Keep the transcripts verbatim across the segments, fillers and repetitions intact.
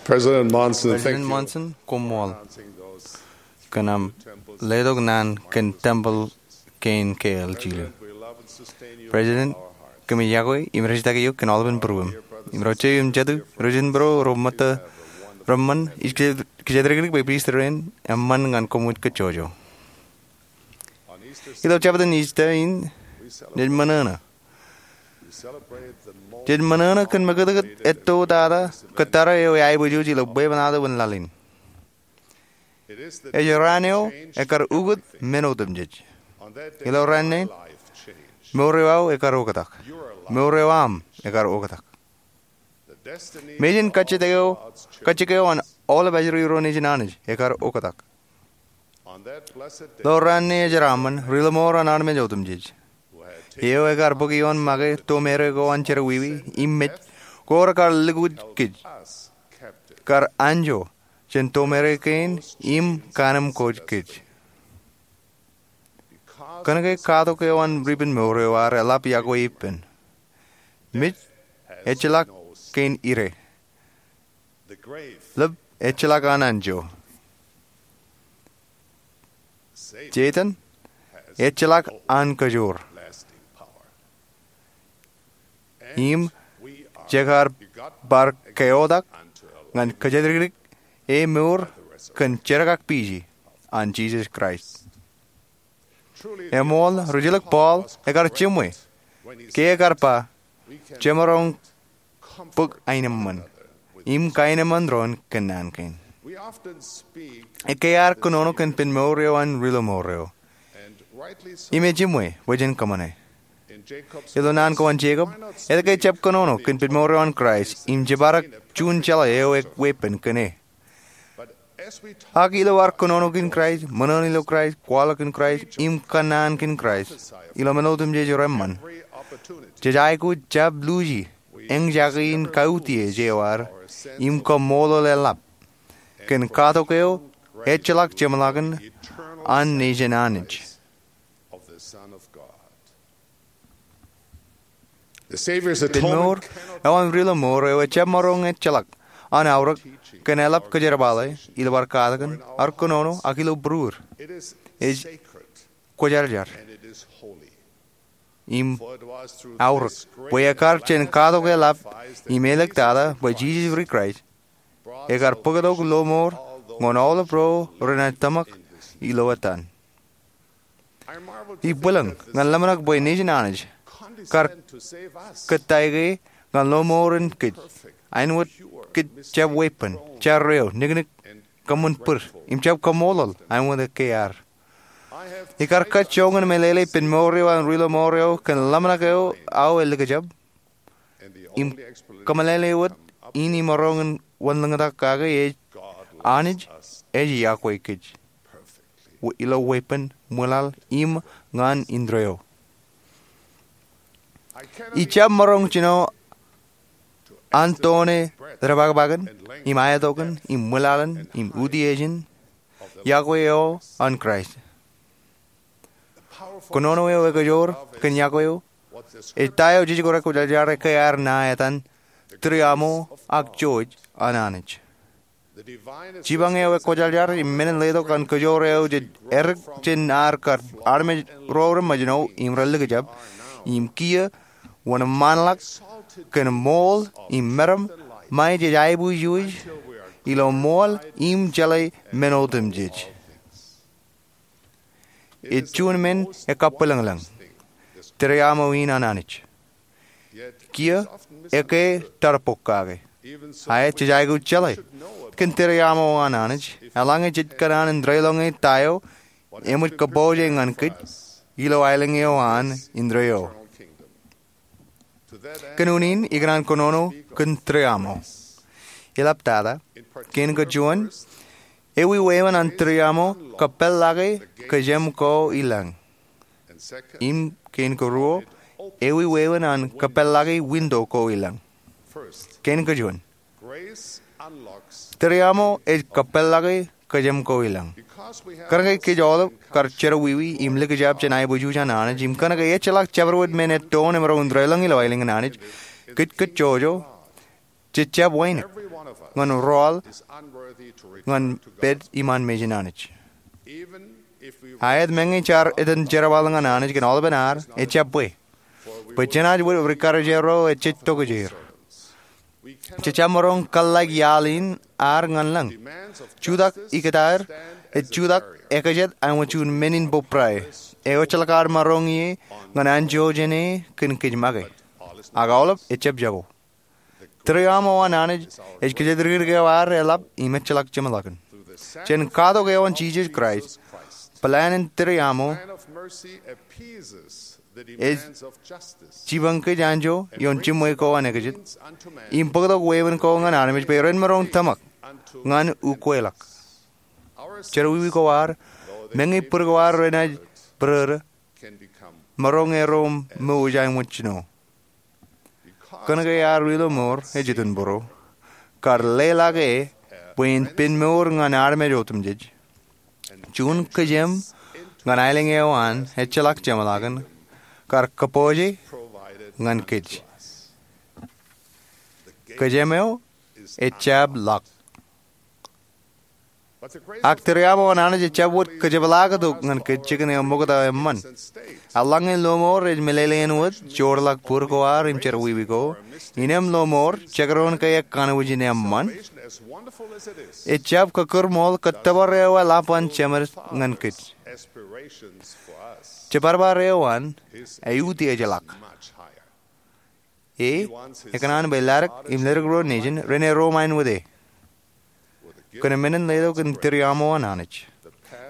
President Monson, thank President you. Monson, koṃṃool kōn aṃ letok naan kōn tempeḷ kein ke L G L. President, kōmij iọkwe im rej jitōñ eok kōn aolepen būruōṃ. Im ro jeiū im jatū, ro jen būro, ro ṃōtta, ro ṃōn, ij kōjatdikdik bwe pris tōre in eṃṃan ñan koṃij kōjjojo. Ilo jabōt in Easter in, jej ṃōṇōṇō. Jej ṃōṇōṇō kōn mekūtkūt etto tata kōttara eo eaiboojoj ilo bwebwenato in laḷ in. Ej raan eo ekkar ukōt men otemjej. Ilo raan ṇe in, mour eo aō ekkar oktak. Mour eo aṃ ekkar oktak. Mejān kajjitōk eo, kajjitōk eo an aolep ajri ro nejin Anij ekkar oktak. Ilo raan ṇe ejeraṃṃan, Ri-lọmọọr an armej otemjej, eo ekkar bōk ioon make tomereik ko an jerọwiwi im mej, ko rekar lukkuun kōj, kar anjọ jān tomereik kein im kanimkoj kōj. Kōnke katok eo an ribenmour eo ar eḷap iọkwe ippān, mej ejjeḷọk kein ire. Lōb ejjeḷọk an anjọ. Setan ejjeḷọk an kōjoor. Im jekar bar keotak ñan kōjatdikdik e mour kōn jerkakpeje an Jisōs Kraist. Eṃool, rijjelōk Paul ekar jiṃwe ke ekar ba, jemaroñ bōk aenōṃṃan im kaenōṃṃan doon kōn naan kein. Ekkā ear kōnono kōn ippān mour eo an Ri-lọmọọr eo. Im ejiṃwe bwe jen kōṃṃane. Ilo naan ko an Jekob, etke ejjab kōnono kōn ippān mour eo an Kraist im jibadek juon jeḷā eo eweeppān kōn e? Ak ilo ad kōnono kōn Kraist, ṃōṇōṇō ilo Kraist, kwaḷọk kōn Kraist, im kōnnaan kōn Kraist ilo men otemjej reṃṃan, jej aikuj jab luuji eñjake in kautiej eo ad im kaṃṃoolol eḷap kōn katok eo ejjeḷọk jeṃḷọkin an Nejin Anij. Ippān mour eo an Ri-lọmọọr eo ejjab maroñ ejjeḷọk an aorōk kōn eḷap kōjerbale, ilo ad katakin, ad kōnono, ak ilo būruod. Ej kwōjarjar im aorōk bwe ekkar jān katok eḷap im āliktata bwe Jisōs ri-Kraist ekar bōktok lọmọọr ñan aolep ro renaaj tōmak ilo etan. Ibwilōñ ñan ḷōmṇak bwe Nejin Anij kar kōttāik e ñan lọmọọren kōj, āinwōt kōj jab weeppān, jarreo, niknik, kōṃṃan bōd, im jab kaṃṃoolol āinwōt ekkā ear. Ikar kajjoñan meḷeḷe ippān mour eo an Ri-lọmọọr eo kōn ḷōmṇak eo aō elikjab. Im kōmeḷeḷe wōt in imaroñ in wanlōñtak kake ej, Anij ej iọkwe kōj ilo weeppān, ṃwilaḷ, im ñan indeeo. Ij jab maroñ jino an tone depakpakin im aetokin im ṃwilaḷin im utiejin iọkwe eo an Kraist. Kōnono eo ekajoor kōn iọkwe eo ej ta eo jej kwōjarjar ekkā ear ṇa etan Tūriaṃo ak Joj an Anij. Jipañ eo ekwōjarjar im men in letok an kōjoor eo jej edik jān ad kar armej ro reṃōjṇọ im relikjab, im kiiō wōnṃaanḷọk kōn ṃool im meram ṃae jej aiboojoj ilo ṃool im jeḷā men otemjej. Ej juon men ekabwilōñlōñ, Tūriaṃo in an Anij. Kiiō ekkā etarpok kake. Ak jej aikuj jeḷā kōn Tūriaṃo an Anij eḷaññe jej kōṇaan in deḷọñe ta eo eṃōj kōpooje ñan kōj ilo aelōñ eo an indeeo. Kōn unin ikōṇaan kōnono kōn Tūriaṃo. Eḷaptata, kein kajuon, ewi wāween an Tūriaṃo kōpeḷḷọke kōjām ko i lañ. Im kein karuo, ewi wāween an kōpeḷḷọke winto ko i lañ. Kein kajuon, Tūriaṃo ej kōpeḷḷọke kōjām ko i lañ. Kōnke kōj aolep kar jerọwiwi im likjab jān aiboojoj an Anij, im kōnke ejjeḷọk jabdewōt men ettoon emaroñ in deḷọñ ilo aelōñ an Anij, kōj kōjjojo, jej jab wānōk. ñan rọọl ñan pād iṃaan mejān Anij. Aet meñe jaar etan jerbal ñan Anij kōn aolepen ad, ejjab bwe. Bwe jenaaj wōt rikkar ijeer ro ejjej tokjāer. Jejjab maroñ kōḷḷāik iaḷ in ad ñan lañ. Jutak ikōtaer ej jutak ekajet āinwōt juon men in bōbrae eo ejjeḷọk ad maroñ ie ñan anjọ jāne kōn kōj make. Ak aolep ejjab jako. Tūriaṃo an Anij ej kōjatdikdik eo ad eḷap im ejjeḷọk jeṃḷọkin. Jān katok eo an Jisōs Kraist, plan in tūriaṃo ej jipañ kōj anjọ ioon jiṃwe ko an ekajet im bōktok wāween ko ñan armej bwe ren maroñ tōmak ñan ukweḷọk. Jerọwiwi ko ad, meñe bwid ko ad renaaj bōrōrō, maroñ erom mouj āinwōt jino. Kōnke ad ri-lọmọọr ej itok būruō, kar leḷọk e bwe en pen mour ñan armej otemjej, juon kōjām ñan aelōñ eo an ejjeḷọk jeṃḷọkin kar kōpooje ñan kōj. Kōjām eo ejjab ḷọk. Ak tūriaṃo an Anij ejjab wōt kōjepḷaaktok ñan kōj jikin eo ṃokta eṃṃan. Eḷaññe lọmọọr ej meḷeḷein wōt joorḷọk bwid ko ad im jerọwiwi ko, innem lọmọọr jekdọọn ke ekanooj in eṃṃan, ejjab kōkūrṃool kōttōpar eo eḷap an Jemed ñan kōj. Jepārpaar eo an eutiejḷọk. E, ekōṇaan bwe ladik im ledik ro nejin ren erom āinwōt e. Kōn men in letok in tūriaṃo an Anij,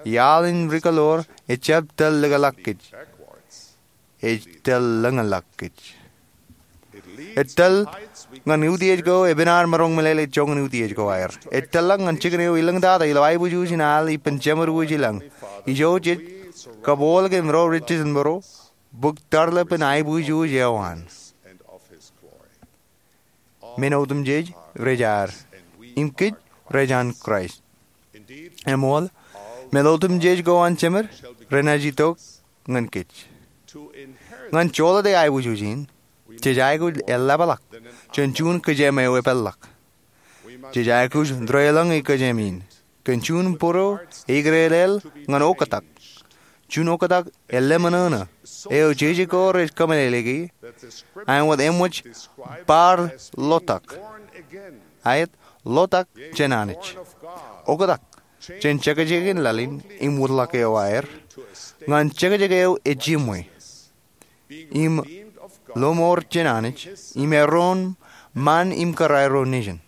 iaḷ in rikaḷoor ejjab tōl likḷọk kōj. Ej tōl lōñḷọk kōj. Ej tōl ñan utiej ko epen ad maroñ meḷeḷe joñan utiej ko aer. Ej tōl ḷọk ñan jikin eo elōñ tata ilo aiboojoj in al ippān jemed wōj i lañ. Ijo jej kapool kōn ro rijjilōk būruō, bōk tarlep in aiboojoj eo an. Men otemjej rej ad, im kōj rej an Kraist. Eṃool, men otemjej ko an Jemed renaaj itok ñan kōj. Ñan joḷọk aiboojoj in, jej aikuj eḷapḷọk jān juon kōjām eo epād ḷọk. Jej aikuj deḷọñ kōjām in kōn juon būruō eikdedeḷ ñan oktak. Juon oktak eḷap ṃōṇōṇō eo jeje ko rej kōmeḷeḷeiki āinwōt eṃōj bar ḷotak. Aet, ḷotak jān Anij. Oktak jān jekjekin laḷ in im wōtlọk eo aer ñan jekjek eo ejiṃwe im lọmọọr jān Anij im erom ṃaan im kōrā ro nejin.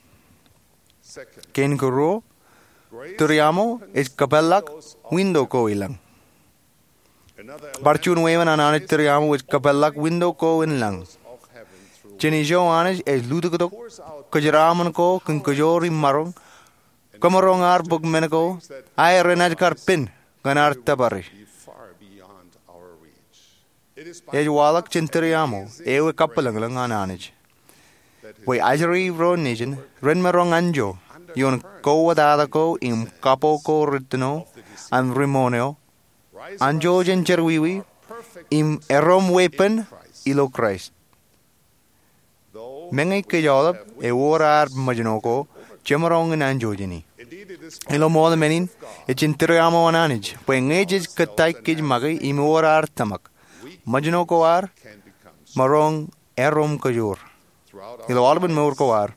Kein karuo, tūriaṃo ej kōpeḷḷọk winto ko i lañ. Bar juon wāween an Anij tūriaṃo ej kōpeḷḷọk winto ko in lañ. Jān ijo Anij ej lutōktok kōjeraaṃṃan ko kōn kōjoor im maroñ kōmaroñ ad bōk men ko aer renaaj kar pen ñan ad tōpare. Ej waḷọk jān tūriaṃo eo ekabwilōñlōñ an Anij bwe ajri ro nejin ren maroñ anjọ ioon kowōtata ko im kapo ko rūttono an ri-moṇ eo, anjọ jān jerọwiwi im erom weeppān ilo Kraist. Meñe kōj aolep ewōr ad ṃōjṇọ ko jemaroñ in anjọ jān e. Ilo ṃool men in, ej jān tūriaṃo an Anij bwe ñe jej kōttāik kōj make im ewōr ad tōmak, ṃōjṇọ ko ad maroñ erom kōjoor. Ilo aolepen mour ko ad,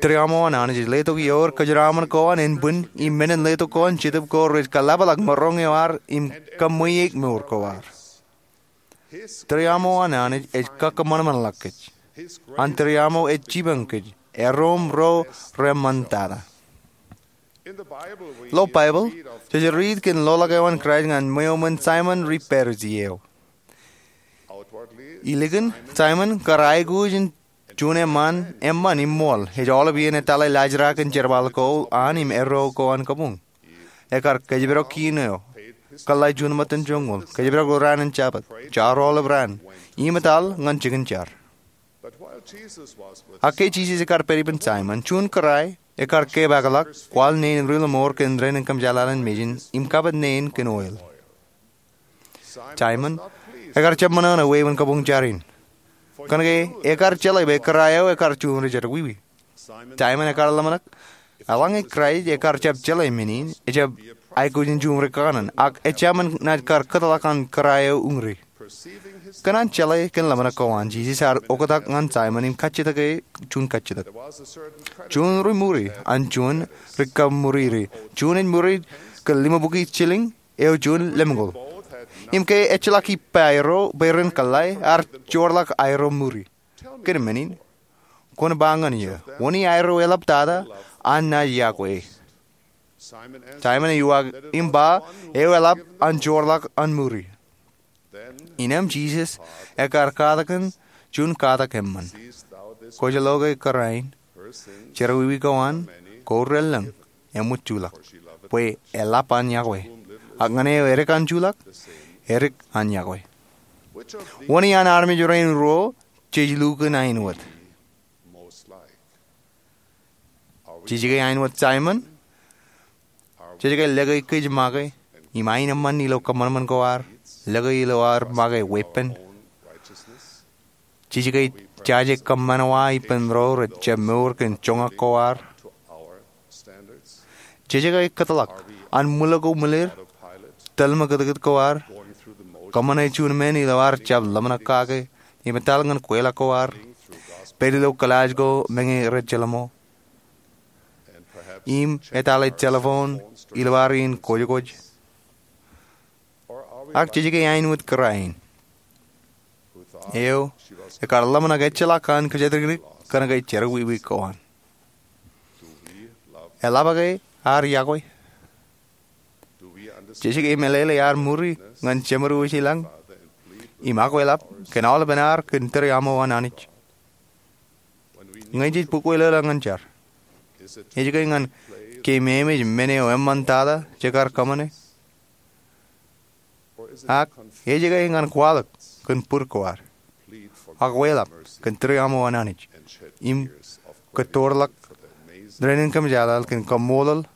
tūriaṃo an Anij ej letok ioer kōjeraaṃṃan ko an ānbwin im men in letok ko an Jetōb ko rej kaḷapḷọk maroñ eo ad im kōṃṃweik mour ko ad. Tūriaṃo an Anij ej kakōṃanṃanḷọk kōj. An tūriaṃo ej jipañ kōj erom ro reṃṃantata. Ilo Baibōḷ, jej riit kōn loḷọk eo an Kraist ñan ṃweo ṃōn Saimōn ri-Parisi eo. Ilikin, Saimōn kar aikuj in juon eṃṃan eṃṃan im ṃool ej aolep iien etaḷe laajrak in jerbal ko an im erro ko an kabuñ. Ekar kōjparok kiin eo, kōḷḷā juon ṃōttan joñoul, kōjparok raan in Jabōt, jar aolep raan, im etal ñan jikin jar. Ak ke Jisōs ekar pād ippān Saimōn, juon kōrā ekar kepaakḷọk kwaḷ neen ri-lọmọọr kōn dān in kōmjaaḷ in mejān im kapit neen kōn oil. Saimōn ekar jab ṃōṇōṇō wāween kabuñ jar in, kōnke ekar jeḷā bwe kōrā eo ekar juon ri-jerọwiwi. Saimōn ekkar ḷōmṇak, eḷaññe Kraist ekkar jab jeḷā men in, ejab aikuj in juṃri kōṇaan, ak ejāmin naaj kar kōtḷọk an kōrā eo uñri. Kōn an jeḷā kōn ḷōmṇak ko an, Jisōs ear oktak ñan Saimōn im kajjitōk e juon kajjitōk. Juon ri ṃuri an juon ri kaṃṃuriri. Juon ej ṃuri kōn limabukwi jilōñ, eo juon lemñoul. Im ke ejjeḷọk ippa aerro bwe ren kōḷḷā, ear joorḷọk aerro ṃuri. Kōn men in, kwōn ba ñan eō, wōn i aerro eḷap tata an naaj yokwe? Saimōn ej uwaak im ba, eo eḷap an joorḷọk an ṃuri. Innām Jisōs ekkar katak kōn juon katak eṃṃan. Kwōj lo ke kōrā in? Jerọwiwi ko an, ko relōñ, eṃōj juḷọk, bwe eḷap an yokwe. Ak ñan eo edik an juḷọk, edik an yokwe. Wōn iaan armej rein ruo jej lukkuun ain wōt? Jej ke ain wōt Saimōn? Jej ke lōke kōj make im ain eṃṃan ilo kōṃanṃan ko ad, lōke ilo ad make weeppān? Jej ke jaje kōṃṃan wa ippān ro rej jab mour kōn joñak ko ad? Jej ke kōtḷọk an ṃwilọkuṃwilōd tōl ṃakūtkūt ko ad, kōṃṃane juon men ilo ad jab ḷōmṇak kake, im etal ñan kweilọk ko ad, pād ilo kōḷaaj ko meñe rej jelṃo, im etale telephone ilo ad iien kwōjkwōj? Ak jej ke ain wōt kōrā in? Eo ekkar ḷōmṇak ejjeḷọk an kōjatdikdik kōnke jerọwiwi ko an. Eḷap ke ad yokwe? Jej ke meḷeḷe ad ṃuri ñan Jemed wōj ilañ im akweḷap kōn aolepen ad kōn tūriaṃo an Anij? Ñe jej bōkwōlōḷọk ñan jar, ej ke ñan keememej men eo eṃṃan tata jekar kōṃṃane? Ak ej ke ñan kwaḷọk kōn bōd ko ad, akweḷap kōn tūriaṃo an Anij, im kōttoorḷọk dān in kōmjaaḷaḷ kōn kaṃṃoolol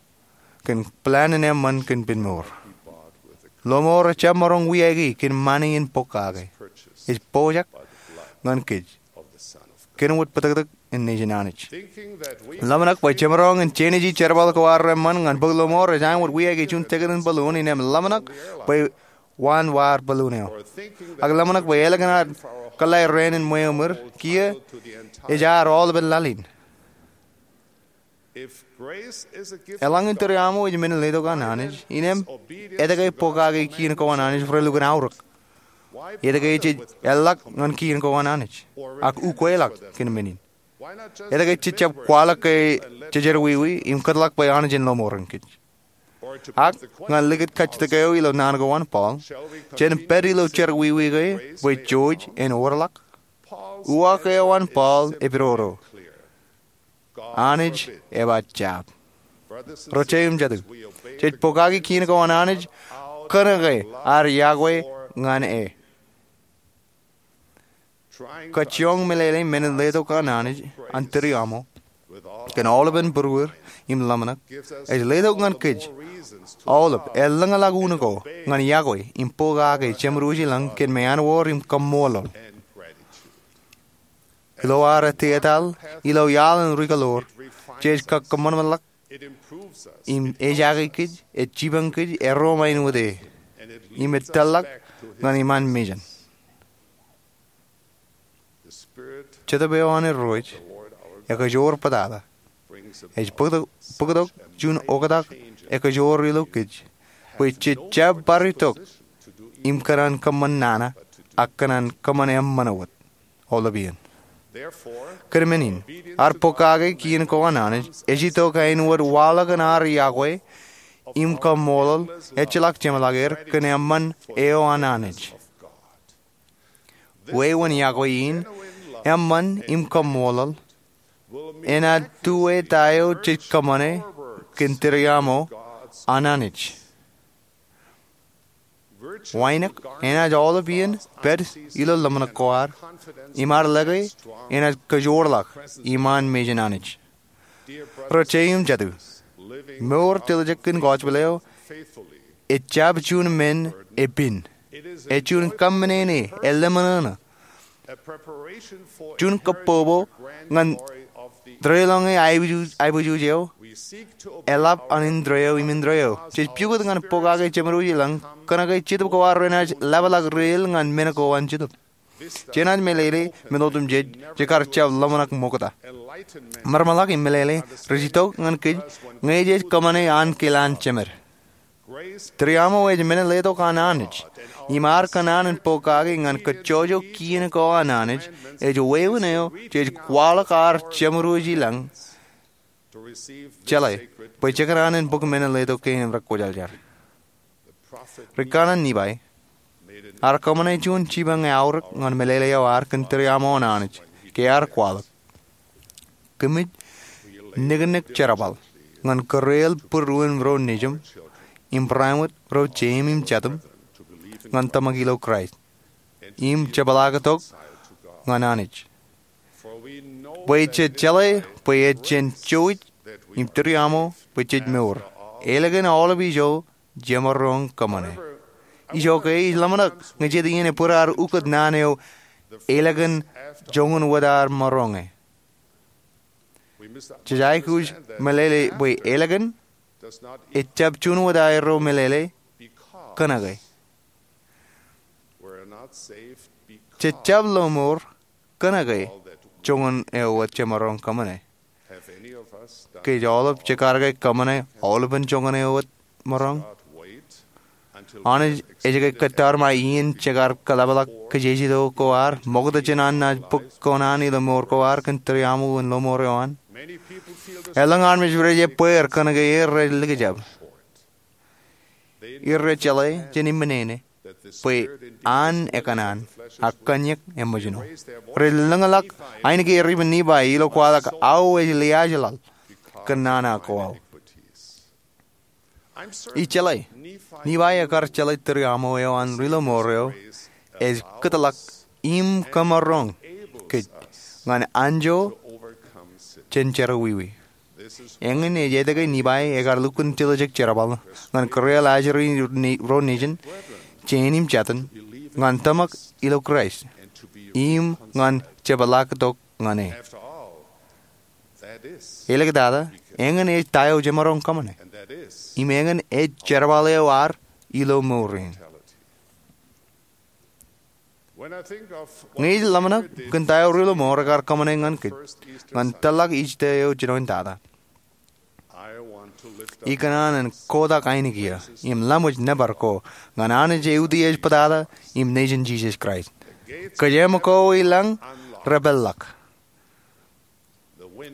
kōn plan in eṃṃan kōn penmour? Lọmọọr ejjab maroñ wiaiki kōn ṃani in pokake. Ej pojak ñan kōj kōn wōt bōtōktōk in Nejin Anij. Ḷōmṇak bwe jemaroñ in jenaji jerbal ko ad reṃṃan ñan bōk lọmọọr ej aṃ wōt wiaiki juon tiket in balloon innām ḷōmṇak bwe waan waad balloon eo. Ak ḷōmṇak bwe ālikin ad kōḷḷā raan in ṃweo ṃwir kiiō ej ad aolepen laḷ in. Eḷaññe tūriaṃo ej men in letok an Anij, innām etke pokake kien ko an Anij relukkuun aorōk? Etke jej eḷḷọk ñan kien ko an Anij ak ukweḷọk kōn men in? Etke jej jab kwaḷọk ke jejerọwiwi im kōtḷọk bwe Anij en lọmọọren kōj? Ak ñan likūt kajjitōk eo ilo naan ko an Paul, jen pād ilo jerọwiwi ke bwe jouj en orḷọk? Uwaak eo an Paul epidodo: Anij eba jab. Ro jeiū im jatū, jej pokake kien ko an Anij kōnke ad yokwe ñan e. Kajjioñ meḷeḷe men in letok an Anij an tūriaṃo kōn aolepen būruod im ḷōmṇak ej letok ñan kōj aolep elōñḷọk unin ko ñan yokwe im pokake Jemed wōj ilañ kōn meanwōd im kaṃṃoolol. Ilo ad ettā etal ilo iaḷ in ri-kōḷoor, jej kakōṃanṃanḷọk im ejaake kōj, ej jipañ kōj erro ṃain wōt e, im ej tōrḷọk ñan iṃaan mejān. Jetōb eo an Irooj ekajoor bōtata ej bōktok juon oktak ekajoor ilo kōj bwe jej jab bar itok im kōṇaan kōṃṃan nana ak kōṇaan kōṃṃan eṃṃan wōt aolepān. Kōn men in, ad pokake kien ko an Anij ej itok āinwōt waḷọk in ad yokwe im kaṃṃoolol ejjeḷọk jeṃḷọk er kōn eṃṃan eo an Anij. Wāween yokwe in, eṃṃan im kaṃṃoolol, enaaj tuwe ta eo jej kōṃṃane kōn tūriaṃo an Anij. Wānōk enaaj aolepān pād ilo ḷōmṇak ko ad im ad lōke enaaj kajoorḷọk iṃaan mejān Anij. Ro jeiū im jatū, mour tiljek in gospel eo ejjab juon men epen. Ej juon kaṃṃane ṇe eḷōmṇōṇō, juon kōbbobo ñan Tōre ḷọk ñe aiboojoj eo, eḷap an indeeo im indeeo. Jej pukot ñan pokake jeṃarooj i lañ kōnke Jetōb ko ad renaaj ḷapḷọk reiḷọk ñan men ko an Jetōb. Jenaaj meḷeḷe men otemjej, jej kar jab ḷōmṇak ṃokta. Ṃōrṃōḷọk im meḷeḷe rej itok ñan kōj ñe jej kōṃṃane ankilaan jemed. Tūriaṃo ej men letok an Anij, im ad kōṇaan in pokake ñan kajjojo kien ko an Anij ej wāween eo jej kwaḷọk ad jeṃarooj i lañ jeḷā bwe jekōṇaan in bōk men letok kein im rekwōjarjar. Ri kanaan Nifai ear kōṃṃane juon jipañ aorōk ñan meḷeḷe eo ad kōn tūriaṃo an Anij ke ear kwaḷọk, kōmij niknik jerbal ñan kōreel būruon ro nejiṃ im barāinwōt ro jeim im jatūṃ ñan tōmak ilo Kraist im jepḷaaktok ñan Anij. Bwe jej jeḷā bwe ej jen jouj im tūriaṃo bwe jej mour ālikin aolep ijo jemaroñ kōṃṃane. Ijoke ij ḷōmṇak ñe jet iien ebōd ad ukōt naan eo ālikin joñan wōt ad maroñe. Jej aikuj meḷeḷe bwe ālikin ejjab juon wōt aerro meḷeḷe kōnke jej jab lo mour kōnke joñan eo wōt jemaroñ kōṃṃane. Kōj aolep jekar ke kōṃṃane aolepen joñan eo wōt maroñ? Anij ej ke kōttar ṃae iien jekar kōḷapḷọk kajejjet ko ad ṃokta jān an naaj bōk kōṇaan ilo mour ko ad kōn tūriaṃo in lo mour eo an? Elōñ armej rej ebbeer kōnke er rej likjab. Er rej jeḷā jān iṃōn eo bwe an ekōṇaan ak kōnñak eṃōjṇọ. Rej lōñḷọk ainikien ripen Nifai ilo kwaḷọk, Aō ej liaajḷaḷ kōn nana ko aō. Ij jeḷā Nifai ekar jeḷā tūriaṃo eo an ri-lomour eo ej kōtḷọk im kōmaroñ kōj ñan anjọ jān jerọwiwi. Eñin ej etke Nifai ekar lukkuun tiljek jerbal ñan kōreel ajri ro nejin, jein im jatin, ñan tōmak ilo Kraist im ñan jepḷaaktok ñan e. Āliktata, eñin ej ta eo jemaroñ kōṃṃane, im eñin ej jerbal eo ad ilo mour in. Ñe ij ḷōmṇak kōn ta eo ri-lomour ekar kōṃṃane ñan kōj ñan tōllọk Ijipt eo jinoin tata, ikōṇaan in kotak ainikien im laṃōj nōbar ko ñan Anij eo Utiej bōtata im Nejin Jisōs Kraist. Kōjeaṃ ko i lañ repeḷḷọk.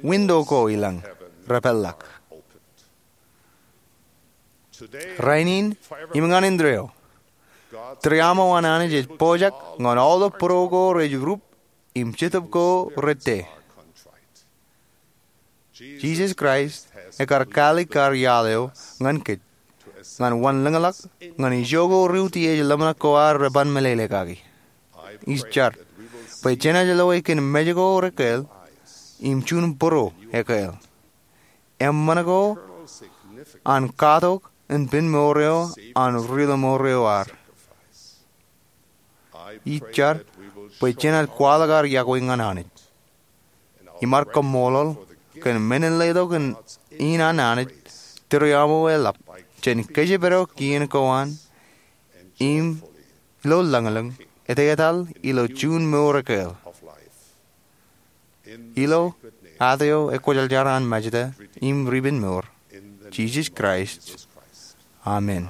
Winto ko i lañ repeḷḷọk. Rainin im ñan indeeo, tūriaṃo an Anij ej pojak ñan aolep būro ko rej rup im jetōb ko rej te. Jisōs Kraist ekar kāālik kar iaḷ eo ñan kōj ñan wanlōñḷọk ñan ijo ko ri-utiej ḷōmṇak ko ad reban meḷeḷe kaki. Ij jar bwe jenaaj loe kōn mej ko rekāāl im juon būro ekāāl, eṃṃan ko an katok in pen mour eo an ri-lomour eo ad. Ij jar bwe jenaaj kwaḷọk ad iọkwe ñan Anij im ad kaṃṃoolol kōn men in letok in an Anij tūriaṃo eḷap jān kōjparok kien ko an im ilo lañlōñ etetal ilo juon mour ekāāl. Ilo at eo ekwōjarjar an Majta im Ripenmour, Jisōs Kraist, amen.